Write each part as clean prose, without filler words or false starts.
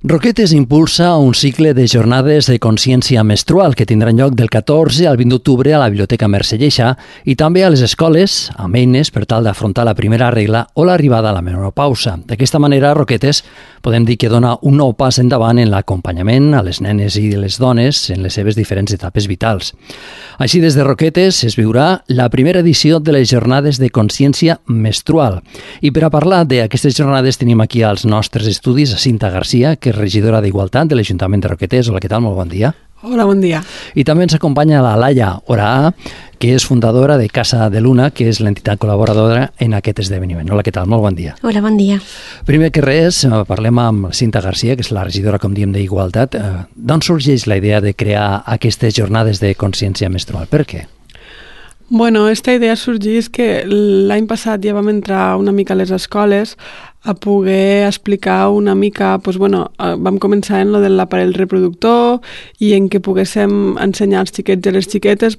Roquetes impulsa un cicle de jornades de consciència menstrual que tindran lloc del 14 al 20 d'octubre a la Biblioteca Mercè Lleixà i també a les escoles amb eines per tal d'afrontar la primera regla o l'arribada a la menopausa. D'aquesta manera, Roquetes podem dir que dona un nou pas endavant en l'acompanyament a les nenes i les dones en les seves diferents etapes vitals. Així, des de Roquetes es viurà la primera edició de les jornades de consciència menstrual. I per a parlar d'aquestes jornades tenim aquí als nostres estudis a Cinta Garcia, que és regidora d'Igualtat de l'Ajuntament de Roquetes. Hola, què tal? Molt bon dia. Hola, bon dia. I també ens acompanya la Laia Oraà, que és fundadora de Casa de Luna, que és l'entitat col·laboradora en aquest esdeveniment. Hola, què tal? Molt bon dia. Hola, bon dia. Primer que res, parlem amb Cinta Garcia, que és la regidora, com diem, d'Igualtat. D'on sorgeix la idea de crear aquestes jornades de consciència menstrual? Per què? Bueno, esta idea sorgeix que l'any passat ja vam entrar una mica a les escoles a poder explicar una mica, vam començar en lo de l'aparell reproductor i en què poguéssim ensenyar als xiquets i les xiquetes,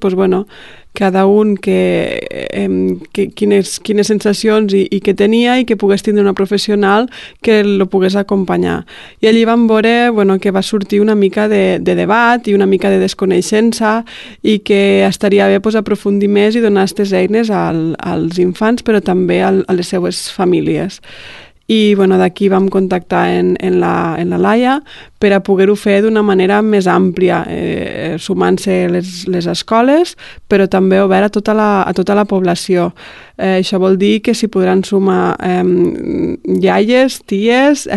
cada un quines sensacions i què tenia i que pogués tindre una professional que el pogués acompanyar. I allí vam veure que va sortir una mica de debat i una mica de desconeixença i que estaria bé aprofundir més i donar aquestes eines als infants, però també a les seues famílies. I d'aquí vam contactar en la Laia per a poder-ho fer d'una manera més àmplia, sumant-se les escoles, però també obert a tota la població. Això vol dir que s'hi podran sumar iaies, ties,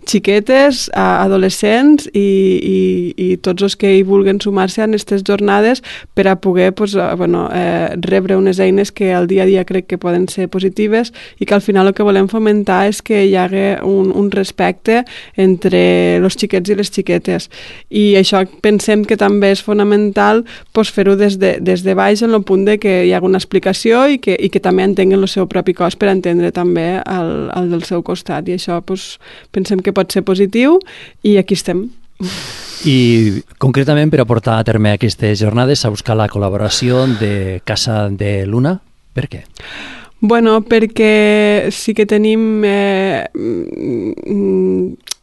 xiquetes, adolescents i tots els que hi vulguin sumar-se a aquestes jornades per a poder rebre unes eines que al dia a dia crec que poden ser positives i que al final el que volem fomentar és que hi hagi un respecte entre els xiquets i les xiquetes. I això pensem que també és fonamental fer-ho des de baix en el punt de que hi hagi una explicació i que també entenguen el seu propi cos per entendre també el del seu costat. I això pensem que pot ser positiu i aquí estem. I concretament per a portar a terme aquestes jornades s'ha buscat la col·laboració de Casa de Luna. Per què? Perquè sí que tenim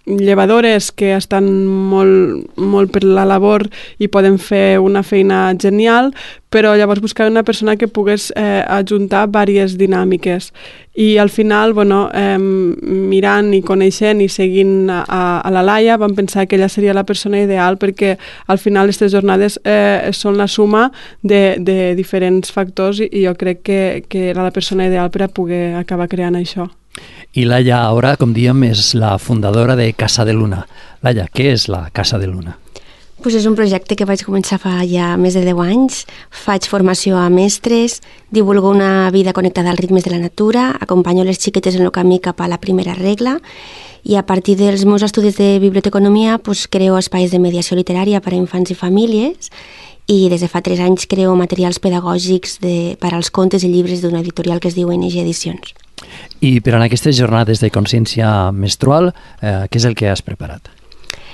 llevadores que estan molt per la labor i poden fer una feina genial, però llavors buscar una persona que pogués ajuntar diverses dinàmiques. I al final, mirant i coneixent i seguint a la Laia, vam pensar que ella seria la persona ideal perquè al final aquestes jornades són la suma de diferents factors i jo crec que era la persona ideal per a poder acabar creant això. I Laia, ara, com diem, és la fundadora de Casa de Luna. Laia, què és la Casa de Luna? És un projecte que vaig començar fa ja més de 10 anys. Faig formació a mestres, divulgo una vida connectada als ritmes de la natura, acompanyo les xiquetes en el camí cap a la primera regla i a partir dels meus estudis de biblioteconomia creo espais de mediació literària per a infants i famílies i des de fa 3 anys creo materials pedagògics per als contes i llibres d'una editorial que es diu NG Edicions. I per a aquestes jornades de consciència menstrual, què és el que has preparat?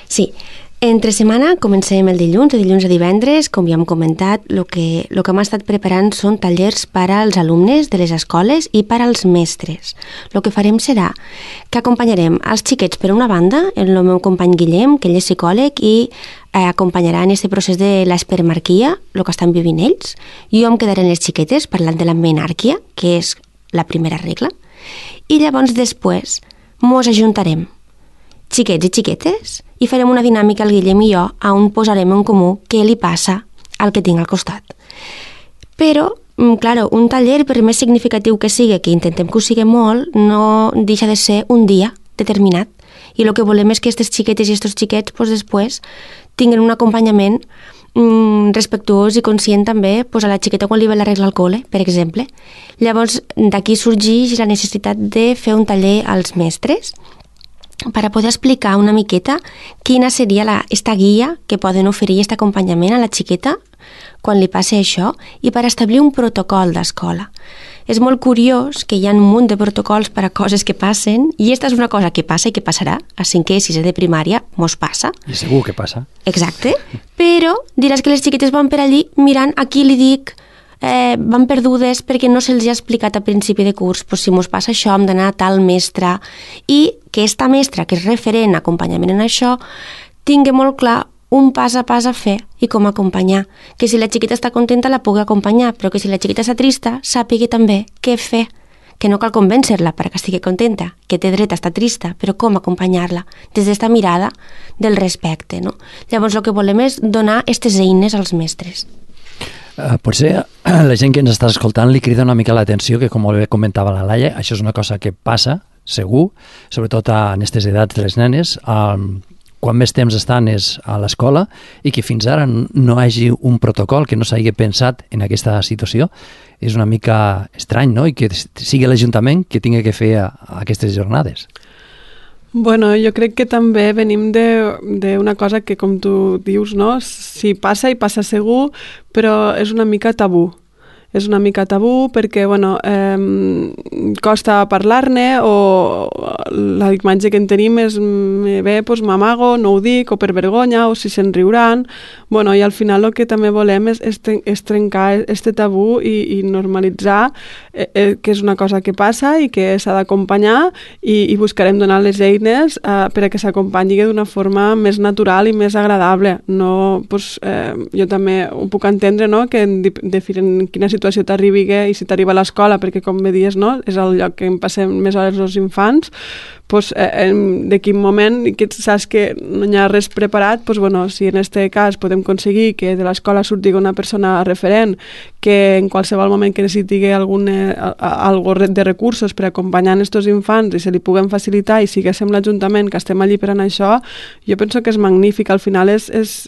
Sí, entre setmana comencem el dilluns, de dilluns a divendres, com ja hem comentat, el que hem estat preparant són tallers per als alumnes de les escoles i per als mestres. El que farem serà que acompanyarem els xiquets per una banda, el meu company Guillem, que ell és psicòleg i acompanyarà en aquest procés de l'espermarquia, el que estan vivint ells. Jo em quedaré en les xiquetes parlant de la menàrquia, que és la primera regla, i llavors després mos ajuntarem xiquets i xiquetes i farem una dinàmica al Guillem i jo on posarem en comú què li passa al que tinc al costat. Però, clar, un taller, per més significatiu que sigui, que intentem que ho sigui molt, no deixa de ser un dia determinat. I el que volem és que aquestes xiquetes i aquests xiquets després tinguin un acompanyament respectuós i conscient també a la xiqueta quan li ve la regla al col·le, per exemple. Llavors, d'aquí sorgeix la necessitat de fer un taller als mestres per a poder explicar una miqueta quina seria esta guia que poden oferir aquest acompanyament a la xiqueta quan li passi això i per establir un protocol d'escola. És molt curiós que hi ha un munt de protocols per a coses que passen i aquesta és una cosa que passa i que passarà a 5è i 6è de primària, mos passa. I segur que passa. Exacte, però diràs que les xiquetes van per allí mirant a qui li dic, van perdudes perquè no se'ls ha explicat a principi de curs, si mos passa això hem d'anar a tal mestre i que esta mestra, que és referent acompanyament en això, tingui molt clar un pas a pas a fer i com acompanyar. Que si la xiquita està contenta la pugui acompanyar, però que si la xiquita està trista, sàpigui també què fer. Que no cal convèncer-la perquè estigui contenta, que té dret a estar trista, però com acompanyar-la? Des d'esta mirada del respecte, no? Llavors el que volem és donar aquestes eines als mestres. Potser la gent que ens està escoltant li crida una mica l'atenció que, com bé comentava la Laia, això és una cosa que passa, segur, sobretot en aquestes edats de les nenes, quan més temps estan és a l'escola i que fins ara no hi hagi un protocol que no s'hagi pensat en aquesta situació és una mica estrany, no? I que sigui l'Ajuntament que tingui que fer aquestes jornades. Bueno, jo crec que també venim d'una cosa que, com tu dius, no? Si passa i passa segur, però és una mica tabú. És una mica tabú perquè, bueno, costa parlar-ne o la imatge que en tenim és bé, doncs m'amago, no ho dic, o per vergonya, o si se'n riuran. Bueno, i al final el que també volem és trencar este tabú i normalitzar que és una cosa que passa i que s'ha d'acompanyar i buscarem donar les eines per a que s'acompanyi d'una forma més natural i més agradable. No, doncs, jo també ho puc entendre, no?, que en quina situació t'arribi i si t'arriba a l'escola, perquè com bé dius, no?, és el lloc que en passem més hores els infants, doncs, de quin moment que saps que no hi ha res preparat, doncs, bueno, si en aquest cas podem aconseguir que de l'escola surti una persona referent que en qualsevol moment que necessiti algo de recursos per acompanyar aquests infants i se li puguem facilitar i siguéssim l'Ajuntament que estem allí per anar això, jo penso que és magnífic. Al final és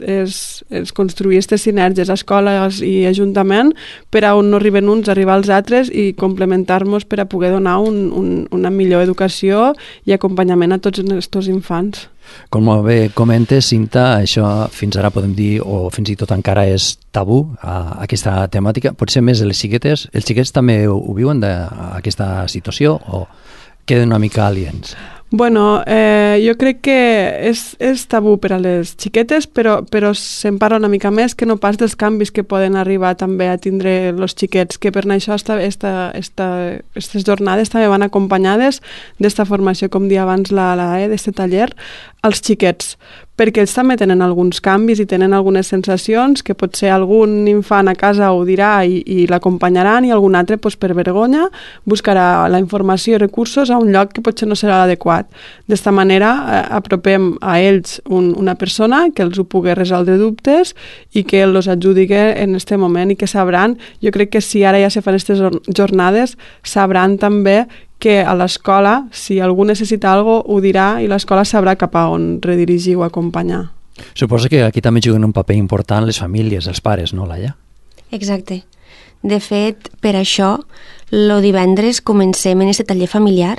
construir aquestes sinergies escoles i Ajuntament per a on no arriben uns, arribar als altres i complementar-nos per a poder donar una millor educació i acompanyament a tots aquests infants. Com bé comentes, Cinta, això fins ara podem dir, o fins i tot encara és tabú, aquesta temàtica. Potser més les xiquetes. Els xiquets també ho viuen d'aquesta situació o queden una mica aliens? Bueno, jo crec que és tabú per a les xiquetes, però se'n parla una mica més que no pas dels canvis que poden arribar també a tindre els xiquets, que per això aquestes jornades també van acompanyades d'esta formació, com dia abans d'aquest taller, als xiquets, perquè ells també tenen alguns canvis i tenen algunes sensacions que potser algun infant a casa ho dirà i l'acompanyaran i algun altre, doncs, per vergonya, buscarà la informació i recursos a un lloc que potser no serà l'adequat. D'esta manera apropem a ells una persona que els ho pugui resoldre dubtes i que els ajudi en aquest moment i que sabran, jo crec que si ara ja se fan aquestes jornades, sabran també que a l'escola, si algú necessita alguna cosa, ho dirà i l'escola sabrà cap a on redirigir o acompanyar. Suposo que aquí també juguen un paper important les famílies, els pares, no, Laia? Exacte. De fet, per això, el divendres comencem en aquest taller familiar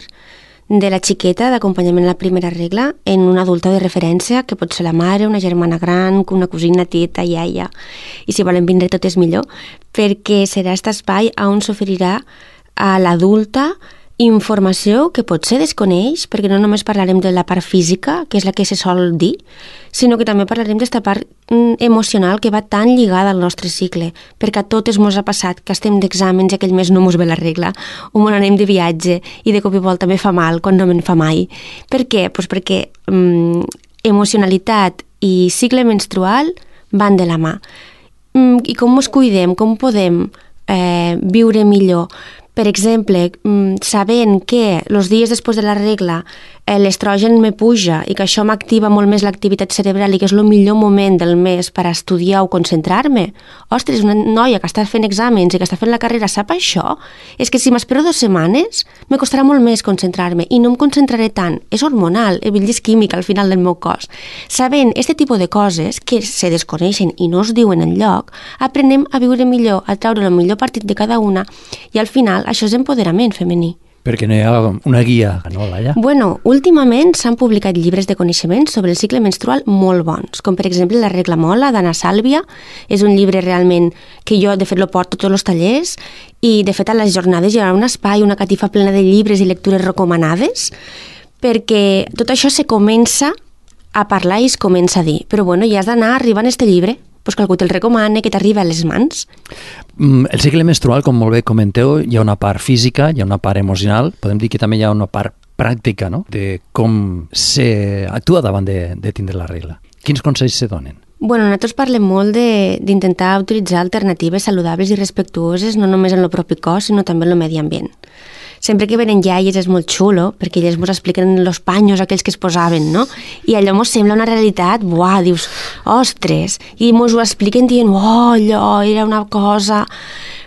de la xiqueta d'acompanyament a la primera regla en una adulta de referència, que pot ser la mare, una germana gran, una cosina, tieta, iaia, i si volen vindre tot és millor, perquè serà aquest espai on s'oferirà a l'adulta informació que potser desconeix, perquè no només parlarem de la part física, que és la que se sol dir, sinó que també parlarem d'esta part emocional que va tan lligada al nostre cicle, perquè a totes mos ha passat que estem d'exàmens i aquell mes no mos ve la regla, o mos anem de viatge i de cop i volta me fa mal quan no me'n fa mai. Per què? Pues perquè emocionalitat i cicle menstrual van de la mà. I com ens cuidem, com podem viure millor? Per exemple, sabent que els dies després de la regla l'estrogen me puja i que això m'activa molt més l'activitat cerebral i que és el millor moment del mes per a estudiar o concentrar-me. Ostres, una noia que està fent exàmens i que està fent la carrera sap això? És que si m'espero 2 setmanes me costarà molt més concentrar-me i no em concentraré tant. És hormonal, és química al final del meu cos. Sabent aquest tipus de coses que se desconeixen i no es diuen enlloc, aprenem a viure millor, a treure el millor partit de cada una i al final això és empoderament femení. Perquè no hi ha una guia, no, Laia? Bueno, últimament s'han publicat llibres de coneixements sobre el cicle menstrual molt bons, com per exemple La regla mola, d'Anna Sàlvia. És un llibre realment que jo, de fet, lo porto a tots els tallers i, de fet, a les jornades hi haurà un espai, una catifa plena de llibres i lectures recomanades, perquè tot això se comença a parlar i es comença a dir. Però, bueno, ja has d'anar arribant a este llibre, pues que algú te'l recomana, que t'arriba a les mans. El cicle menstrual, com molt bé comenteu, hi ha una part física, hi ha una part emocional, podem dir que també hi ha una part pràctica, no?, de com s'actua davant de tindre la regla. Quins consells se donen? Bueno, nosaltres parlem molt d'intentar utilitzar alternatives saludables i respectuoses no només en el propi cos, sinó també en el medi ambient. Sempre que venen iaies és molt xulo, perquè elles ens expliquen els panyos aquells que es posaven, no? I allò ens sembla una realitat, buah, dius, ostres, i ens ho expliquen dient, allò era una cosa,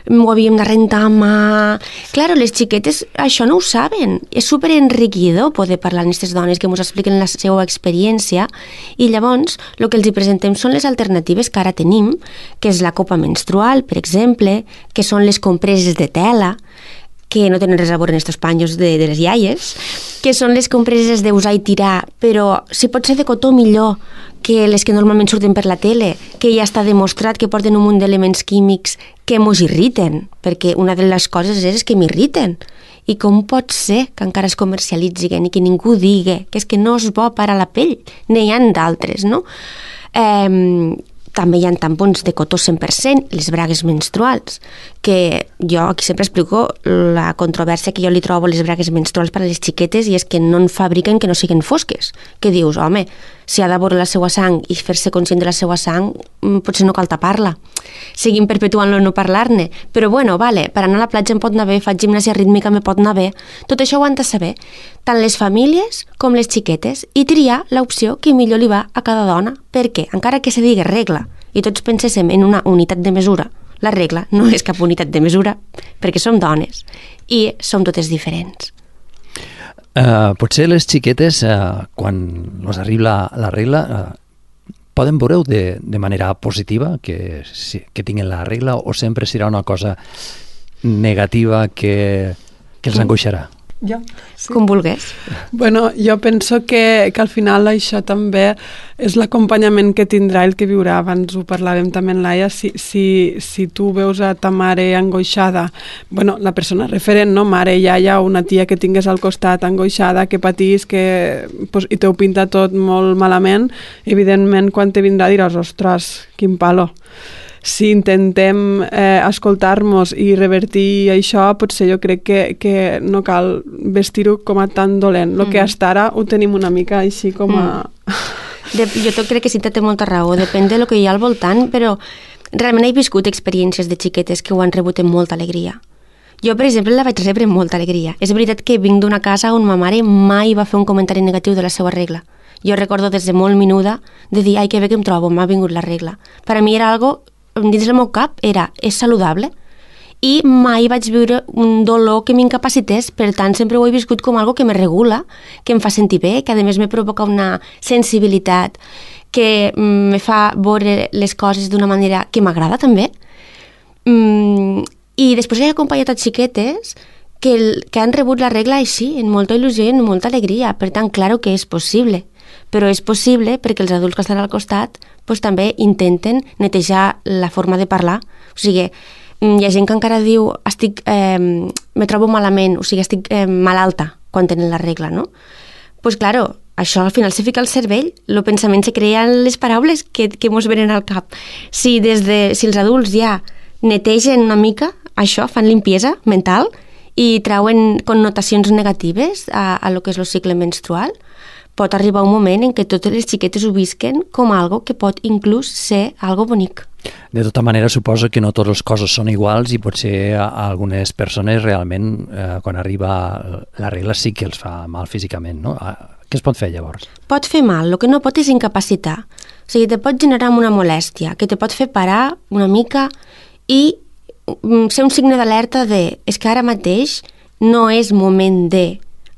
ho havíem de rentar a mà... Claro, les xiquetes això no ho saben. És superenriquidor poder parlar amb aquestes dones que ens expliquen la seva experiència i llavors el que els hi presentem són les alternatives que ara tenim, que és la copa menstrual, per exemple, que són les compreses de tela, que no tenen res a veure en aquests panyos de les iaies, que són les compreses d'usar i tirar, però si pot ser de cotó millor que les que normalment surten per la tele, que ja està demostrat que porten un munt d'elements químics que mos irriten, perquè una de les coses és que m'irriten. I com pot ser que encara es comercialitzin i que ningú digui que és que no és bo per a la pell? N'hi ha d'altres, no? També hi ha tampons de cotó 100%, les bragues menstruals, que jo aquí sempre explico la controvèrsia que jo li trobo a les bragues menstruals per a les xiquetes i és que no en fabriquen que no siguin fosques. Que dius, home, si ha de veure la seva sang i fer-se conscient de la seva sang, potser no cal tapar-la. Seguim perpetuant-lo no parlar-ne. Però bueno, vale, per anar a la platja em pot anar bé, faig gimnàsia rítmica, me pot anar bé. Tot això ho han de saber, tant les famílies com les xiquetes, i triar l'opció que millor li va a cada dona. Perquè, encara que se digui regla, i tots penséssim en una unitat de mesura, la regla no és cap unitat de mesura, perquè som dones i som totes diferents. Potser les xiquetes, quan els arriba la regla, poden veure-ho de manera positiva, que tinguin la regla, o sempre serà una cosa negativa que els angoixarà? Jo? Sí. Com vulgués. Bueno, jo penso que al final això també és l'acompanyament que tindrà el que viurà. Abans ho parlàvem també en Laia, si tu veus a ta mare angoixada, bueno, la persona referent, no? Mare, iaia o una tia que tingués al costat angoixada, que patís, i t'ho pinta tot molt malament, evidentment quan te vindrà diràs, ostres, quin palo. Si intentem escoltar-nos i revertir això, potser jo crec que no cal vestir-ho com a tan dolent. El que hasta ara ho tenim una mica així com a... Jo crec que sí, té molta raó, depèn del que hi ha al voltant, però realment he viscut experiències de xiquetes que ho han rebut amb molta alegria. Jo, per exemple, la vaig rebre amb molta alegria. És veritat que vinc d'una casa on ma mare mai va fer un comentari negatiu de la seva regla. Jo recordo des de molt menuda de dir, ai, que bé que em trobo, m'ha vingut la regla. Per a mi era algo dins del meu cap és saludable i mai vaig viure un dolor que m'incapacités, per tant sempre ho he viscut com algo que me regula, que em fa sentir bé, que a més me provoca una sensibilitat, que me fa veure les coses d'una manera que m'agrada també. I després he acompanyat a xiquetes que han rebut la regla així, en molta il·lusió i en molta alegria, per tant, claro que és possible. Però és possible perquè els adults que estan al costat també intenten netejar la forma de parlar. O sigui, hi ha gent que encara diu me trobo malament, o sigui, estic malalta quan tenen la regla, no? Doncs claro, això al final se fica al cervell, el pensament se crea en les paraules que mos venen al cap. Si els adults ja netegen una mica això, fan limpiesa mental i trauen connotacions negatives a lo que és el cicle menstrual, pot arribar un moment en què totes les xiquetes ho visquen com algo que pot inclús ser algo bonic. De tota manera, suposo que no totes les coses són iguals i potser a algunes persones realment, quan arriba la regla, sí que els fa mal físicament, no? Què es pot fer llavors? Pot fer mal, el que no pot és incapacitar. O sigui, te pot generar una molèstia, que te pot fer parar una mica i ser un signe d'alerta és que ara mateix no és moment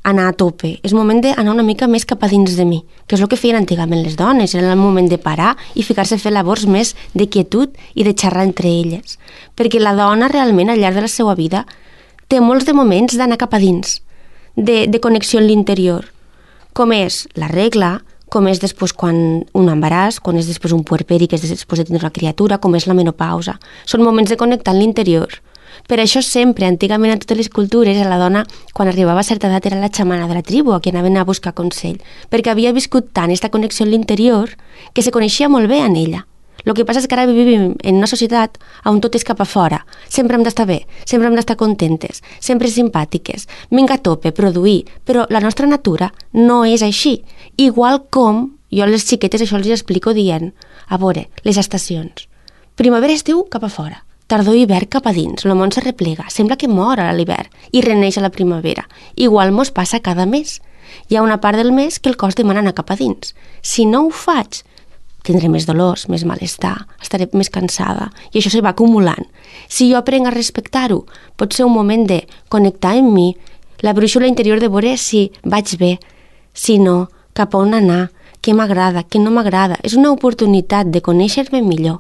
anar a tope, és moment d'anar una mica més cap a dins de mi, que és el que feien antigament les dones, era el moment de parar i ficar-se a fer labors més de quietud i de xerrar entre elles, perquè la dona realment al llarg de la seva vida té molts de moments d'anar cap a dins, de connexió amb l'interior, com és la regla, com és després quan un embaràs, quan és després un puerperi, que és després de tindre una criatura, com és la menopausa. Són moments de connectar amb l'interior. Per això sempre, antigament, en totes les cultures, a la dona, quan arribava a certa edat, era la xamana de la tribu, a qui anaven a buscar consell, perquè havia viscut tant aquesta connexió amb l'interior que se coneixia molt bé en ella. El que passa és que ara vivim en una societat on tot és cap a fora. Sempre hem d'estar bé, sempre hem d'estar contentes, sempre simpàtiques, vinga a tope, produir, però la nostra natura no és així. Igual com jo a les xiquetes això els explico dient, a veure, les estacions. Primavera-estiu cap a fora, tardor-hivern cap a dins, el món se replega, sembla que mor a l'hivern i reneix a la primavera. Igual mos passa cada mes. Hi ha una part del mes que el cos demana anar cap a dins. Si no ho faig, tindré més dolors, més malestar, estaré més cansada i això se va acumulant. Si jo aprenc a respectar-ho, pot ser un moment de connectar amb mi, la brúixola interior de veure si vaig bé, si no, cap a on anar, què m'agrada, què no m'agrada. És una oportunitat de conèixer-me millor.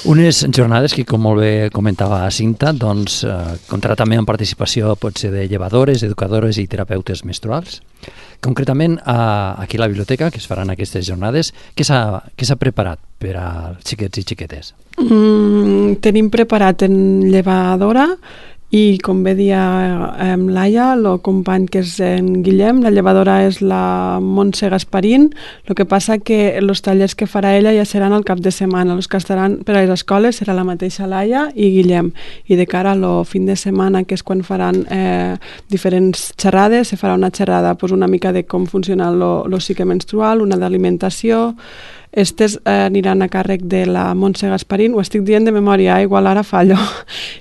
Unes jornades que, com molt bé comentava Cinta, doncs comptarà també amb participació potser de llevadores, educadores i terapeutes menstruals. Concretament, aquí a la biblioteca, que es faran aquestes jornades, què s'ha preparat per als xiquets i xiquetes? Tenim preparat en llevadora i, com bé dia Laia, el company que és en Guillem, la llevadora és la Montse Gasparín. El que passa que els tallers que farà ella ja seran al cap de setmana. Els que estaran per a les escoles serà la mateixa Laia i Guillem. I de cara al fin de setmana, que és quan faran diferents xerrades, se farà una xerrada una mica de com funciona el cicle menstrual, una d'alimentació. Estes aniran a càrrec de la Montse Gasparín, ho estic dient de memòria, igual ara fallo.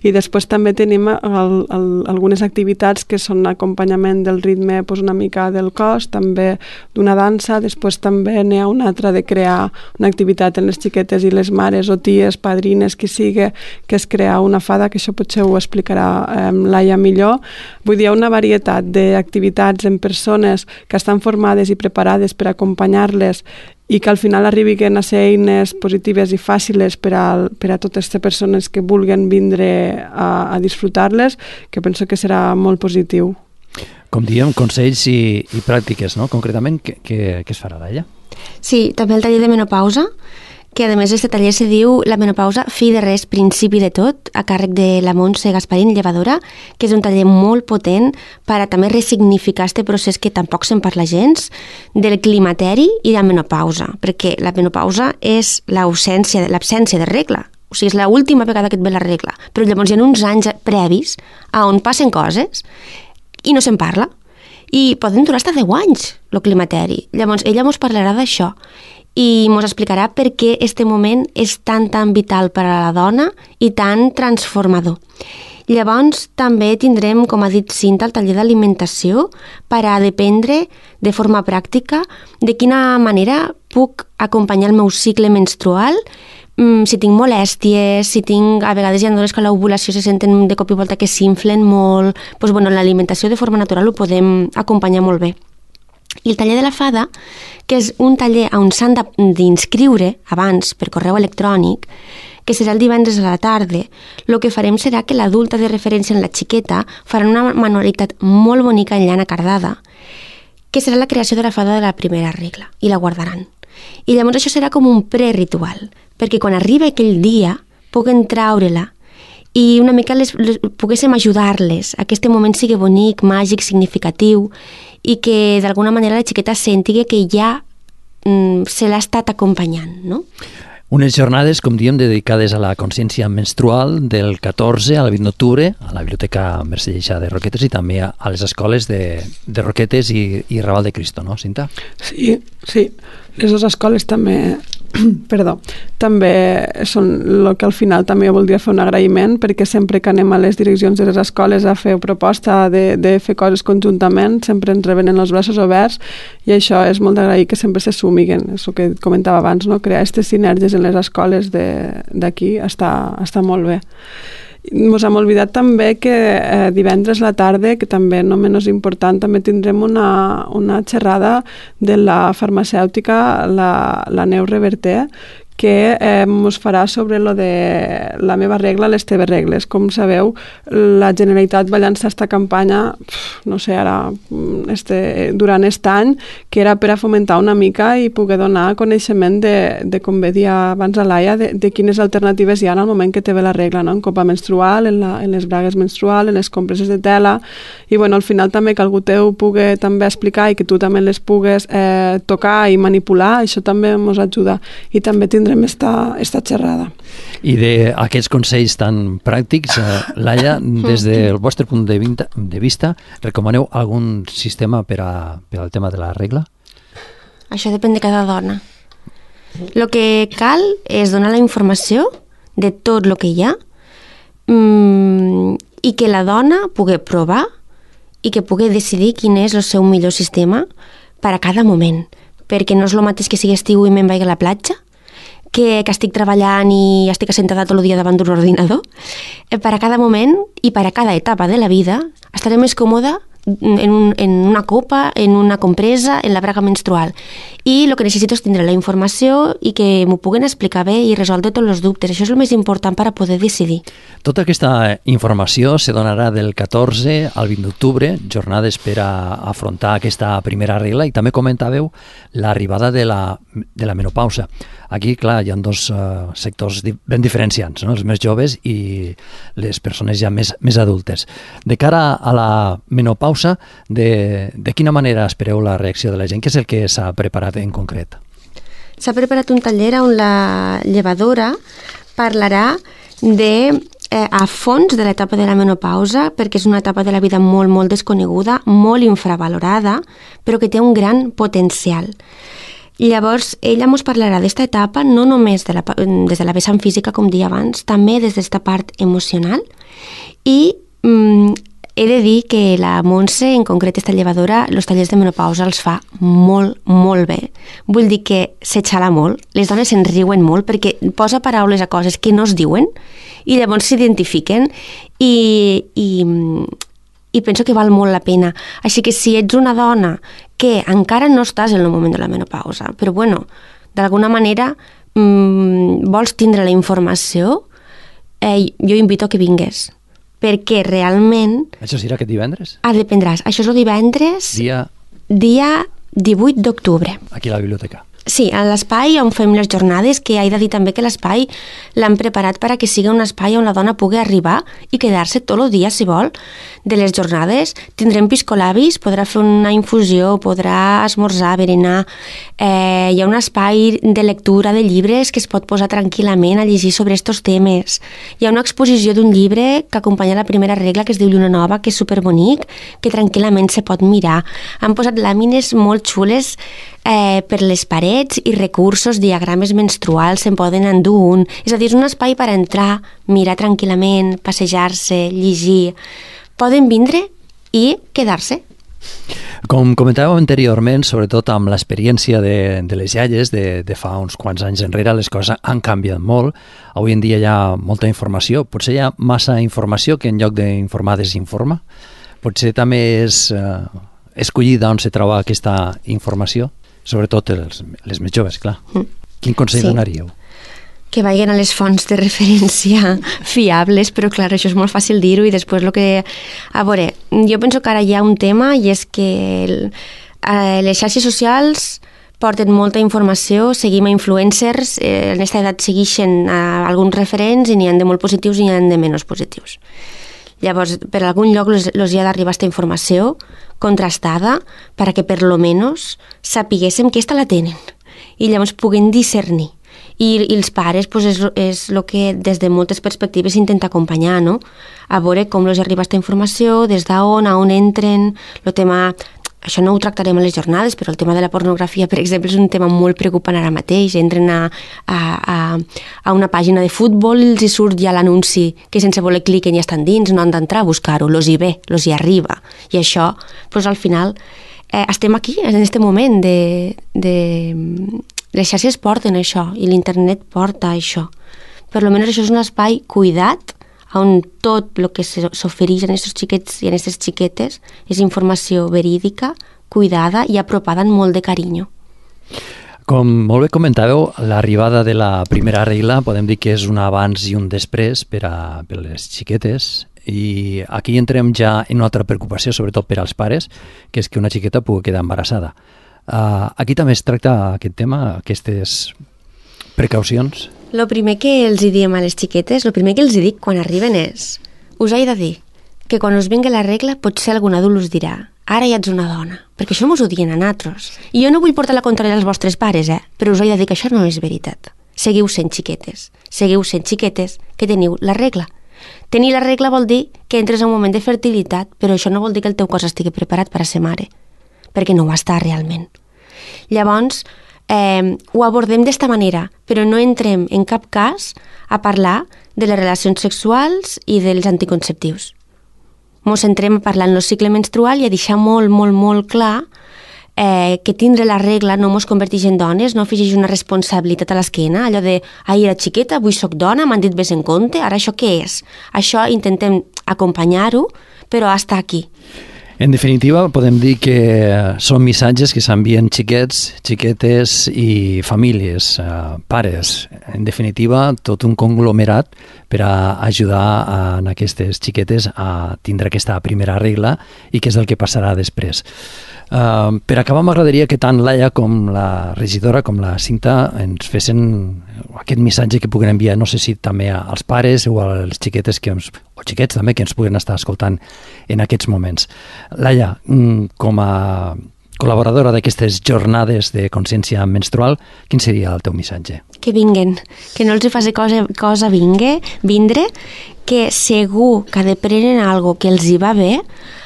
I després també tenim algunes activitats que són acompanyament del ritme una mica del cos, també d'una dansa, després també n'hi ha una altra de crear una activitat en les xiquetes i les mares o ties, padrines, qui sigui, que és crear una fada, que això potser ho explicarà Laia millor. Vull dir, hi ha una varietat d'activitats en persones que estan formades i preparades per acompanyar-les i que al final arribin a ser eines positives i fàcils per a totes les persones que vulguin vindre a disfrutar-les, que penso que serà molt positiu. Com diem, consells i pràctiques, no? Concretament, què es farà d'ella? Sí, també el taller de menopausa, que a més aquest taller se diu la menopausa, fi de res, principi de tot, a càrrec de la Montse Gasparín, llevadora, que és un taller molt potent per a també resignificar aquest procés que tampoc se'n parla gens, del climateri i de la menopausa, perquè la menopausa és l'absència de regla, o sigui, és l'última vegada que et ve la regla, però llavors hi ha uns anys previs a on passen coses i no se'n parla, i poden durar fins a 10 anys, el climateri. Llavors, ella ens parlarà d'això, i ens explicarà per què este moment és tan vital per a la dona i tan transformador. Llavors també tindrem, com ha dit Cinta, el taller d'alimentació per a dependre de forma pràctica de quina manera puc acompanyar el meu cicle menstrual, si tinc molèsties, si tinc, a vegades hi ha dones que a l'ovulació se senten de cop i volta que s'inflen molt, doncs l'alimentació de forma natural ho podem acompanyar molt bé. I el taller de la fada, que és un taller on s'han d'inscriure abans per correu electrònic, que serà el divendres a la tarda, el que farem serà que l'adulta de referència en la xiqueta farà una manualitat molt bonica en llana cardada, que serà la creació de la fada de la primera regla, i la guardaran. I llavors això serà com un preritual, perquè quan arriba aquell dia puguen traure-la i una mica poguéssim ajudar-les a que aquest moment sigui bonic, màgic, significatiu i que d'alguna manera la xiqueta senti que ja se l'ha estat acompanyant, no? Unes jornades, com diem, dedicades a la consciència menstrual del 14 al 20 d'octubre a la Biblioteca Mercè Lleixà de Roquetes i també a les escoles de Roquetes i Raval de Cristo, no, Cinta? Sí. Les dues escoles també també són el que al final també voldria fer un agraïment, perquè sempre que anem a les direccions de les escoles a fer proposta de fer coses conjuntament sempre ens reben els braços oberts i això és molt d'agrair que sempre se sumiguen, és el que comentava abans, no? Crear aquestes sinergies en les escoles d'aquí està molt bé. Ens hem oblidat també que divendres a la tarda, que també no menys important, també tindrem una xerrada de la farmacèutica, la Neus Reverter, que ens farà sobre lo de la meva regla, les teves regles. Com sabeu, la Generalitat va llançar aquesta campanya, no sé, ara, durant aquest any, que era per a fomentar una mica i poder donar coneixement de com bé dia abans a Laia, de quines alternatives hi ha en el moment que te ve la regla, no? En copa menstrual, en les bragues menstruals, en les compreses de tela, i bueno, al final també que algú teu pugui també explicar i que tu també les pugues tocar i manipular, això també ens ajuda. I també tindrem tindrem esta xerrada. I d'aquests consells tan pràctics, Laia, des del vostre punt de vista, recomaneu algun sistema per al tema de la regla? Això depèn de cada dona. El que cal és donar la informació de tot el que hi ha i que la dona pugui provar i que pugui decidir quin és el seu millor sistema per a cada moment. Perquè no és el mateix que sigui estiu i me'n vaig a la platja, que estic treballant i estic assentada tot el dia davant d'un ordinador. Per a cada moment i per a cada etapa de la vida estaré més còmoda en una copa, en una compresa, en la braga menstrual. I el que necessito és tindre la informació i que m'ho puguen explicar bé i resoldre tots els dubtes. Això és el més important per a poder decidir. Tota aquesta informació se donarà del 14 al 20 d'octubre, jornades per a afrontar aquesta primera regla, i també comentàveu l'arribada de la menopausa. Aquí, clar, hi ha dos sectors ben diferenciants, no? Els més joves i les persones ja més adultes. De cara a la menopausa, de quina manera espereu la reacció de la gent? Què és el que s'ha preparat en concret? S'ha preparat un taller on la llevadora parlarà a fons de l'etapa de la menopausa, perquè és una etapa de la vida molt, molt desconeguda, molt infravalorada, però que té un gran potencial. Llavors, ella ens parlarà d'esta etapa no només des de la vessant física, com deia abans, també des d'esta part emocional. I he de dir que la Montse, en concret esta llevadora, els tallers de menopausa els fa molt, molt bé. Vull dir que s'exhala molt, les dones se'n riuen molt perquè posa paraules a coses que no es diuen i llavors s'identifiquen i penso que val molt la pena. Així que si ets una dona que encara no estàs en el moment de la menopausa, però bueno, d'alguna manera vols tindre la informació, jo invito a que vingues, perquè realment... Això serà aquest divendres? Dependràs. Això és el divendres... Dia 18 d'octubre. Aquí a la biblioteca. Sí, a l'espai on fem les jornades, que he de dir també que l'espai l'han preparat per a que sigui un espai on la dona pugui arribar i quedar-se tot el dia, si vol, de les jornades. Tindrem piscolabis, podrà fer una infusió, podrà esmorzar, berenar. Hi ha un espai de lectura de llibres que es pot posar tranquil·lament a llegir sobre aquests temes. Hi ha una exposició d'un llibre que acompanya la primera regla, que es diu Lluna Nova, que és superbonic, que tranquil·lament se pot mirar. Han posat làmines molt xules per les parets i recursos, diagrames menstruals, se'n poden endur un. És a dir, és un espai per entrar, mirar tranquil·lament, passejar-se, llegir. Poden vindre i quedar-se. Com comentàvem anteriorment, sobretot amb l'experiència de les iaies de fa uns quants anys enrere, les coses han canviat molt. Avui en dia hi ha molta informació. Potser hi ha massa informació que en lloc d'informar desinforma. Potser també és escollir d'on se troba aquesta informació. Sobretot les més joves, clar. Quin consell donaríeu? Que vagin a les fonts de referència fiables, però clar, això és molt fàcil dir-ho i després el que... A veure, jo penso que ara hi ha un tema i és que les xarxes socials porten molta informació, seguim a influencers, en aquesta edat segueixen alguns referents i n'hi ha de molt positius i n'hi ha de menys positius. Llavors, per algun lloc els hi ha d'arribar aquesta informació contrastada perquè per lo menos sapiguéssim que esta la tenen i llavors puguem discernir. I els pares és el que des de moltes perspectives intenta acompanyar, no? A veure com els arriba aquesta informació, des d'on, a on entren, el tema... Això no ho tractarem a les jornades, però el tema de la pornografia, per exemple, és un tema molt preocupant ara mateix. Entren a una pàgina de futbol i els hi surt ja l'anunci que sense voler cliquen i estan dins, no han d'entrar a buscar-ho, los hi ve, los hi arriba. I això, doncs, al final, estem aquí, en aquest moment les xarxes porten això i l'internet porta això. Per almenys això és un espai cuidat on tot el que s'ofereix en aquests xiquets i en aquestes xiquetes és informació verídica, cuidada i apropada amb molt de carinyo. Com molt bé comentàveu, l'arribada de la primera regla podem dir que és un abans i un després per les xiquetes, i aquí entrem ja en una altra preocupació, sobretot per als pares, que és que una xiqueta pugui quedar embarassada. Aquí també es tracta aquest tema, aquestes precaucions? El primer que els diem a les xiquetes, el primer que els dic quan arriben és: us he de dir que quan us vingui la regla potser algun adult us dirà ara ja ets una dona, perquè això mos ho diuen a nosaltres. I jo no vull portar la contrària als vostres pares, però us he de dir que això no és veritat. seguiu sent xiquetes que teniu la regla. Tenir la regla vol dir que entres en un moment de fertilitat, però això no vol dir que el teu cos estigui preparat per a ser mare, perquè no ho està realment. Llavors, ho abordem d'esta manera, però no entrem en cap cas a parlar de les relacions sexuals i dels anticonceptius. Ens centrem a parlar en el cicle menstrual i a deixar molt, molt, molt clar que tindre la regla no ens converteix en dones, no afegeix una responsabilitat a l'esquena, allò de ahir era xiqueta, avui soc dona, m'han dit vés en compte, ara això què és? Això intentem acompanyar-ho, però hasta aquí. En definitiva, podem dir que són missatges que s'envien xiquets, xiquetes i famílies, pares. En definitiva, tot un conglomerat per a ajudar a aquestes xiquetes a tindre aquesta primera regla i què és el que passarà després. Per acabar, m'agradaria que tant Laia com la regidora, com la Cinta, ens fessin aquest missatge que puguen enviar, no sé si també als pares o als xiquetes o xiquets també que ens puguen estar escoltant en aquests moments. Laia, com a col·laboradora d'aquestes jornades de consciència menstrual, quin seria el teu missatge? Que vinguen, que no els faci cosa vindre, que segur que aprenen algo que els hi va bé,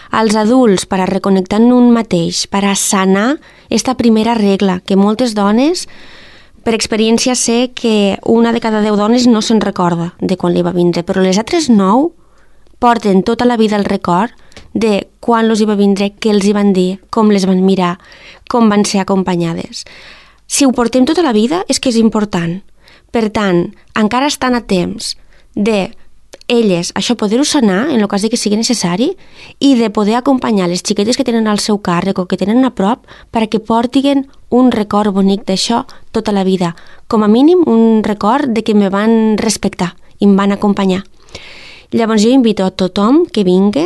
als adults per a reconnectar en un mateix, per a sanar esta primera regla, que moltes dones, per experiència sé que una de cada 10 dones no se'n recorda de quan li va vindre, però les altres 9 porten tota la vida el record de quan els hi va vindre, què els hi van dir, com les van mirar, com van ser acompanyades. Si ho portem tota la vida és que és important. Per tant, encara estan a temps de elles, això poder-ho sanar en el cas de que sigui necessari i de poder acompanyar les xiquetes que tenen al seu càrrec o que tenen a prop perquè portin un record bonic d'això tota la vida. Com a mínim, un record de que me van respectar i em van acompanyar. Llavors jo invito a tothom que vingui.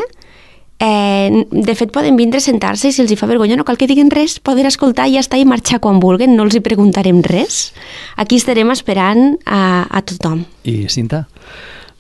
De fet, poden vindre a sentar-se i si els hi fa vergonya no cal que diguin res, poden escoltar i ja està i marxar quan vulguin, no els hi preguntarem res. Aquí estarem esperant a tothom. I Cinta?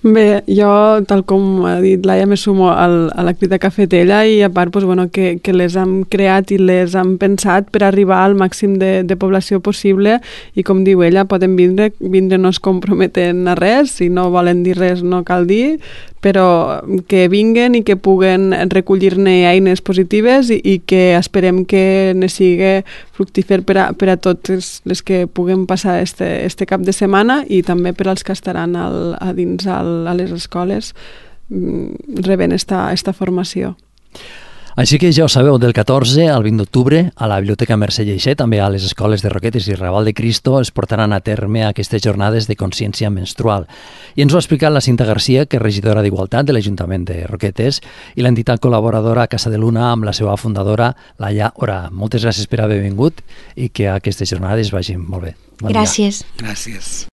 Bé, jo, tal com ha dit Laia, me sumo a l'activitat cafetella i a part que les hem creat i les hem pensat per arribar al màxim de població possible i com diu ella, poden vindre no es comprometen a res, si no volen dir res no cal dir, però que vinguen i que puguen recollir-ne eines positives i que esperem que ne sigui fructífer per a totes les que puguen passar este cap de setmana i també per als que estaran a dins a les escoles rebent esta formació. Així que ja ho sabeu, del 14 al 20 d'octubre a la Biblioteca Mercè Lleixé, també a les escoles de Roquetes i Raval de Cristo es portaran a terme aquestes jornades de consciència menstrual. I ens ho ha explicat la Cinta Garcia, que és regidora d'Igualtat de l'Ajuntament de Roquetes, i l'entitat col·laboradora Casa de Luna amb la seva fundadora, Laia Ora. Moltes gràcies per haver vingut i que aquestes jornades vagin molt bé. Gràcies. Gràcies.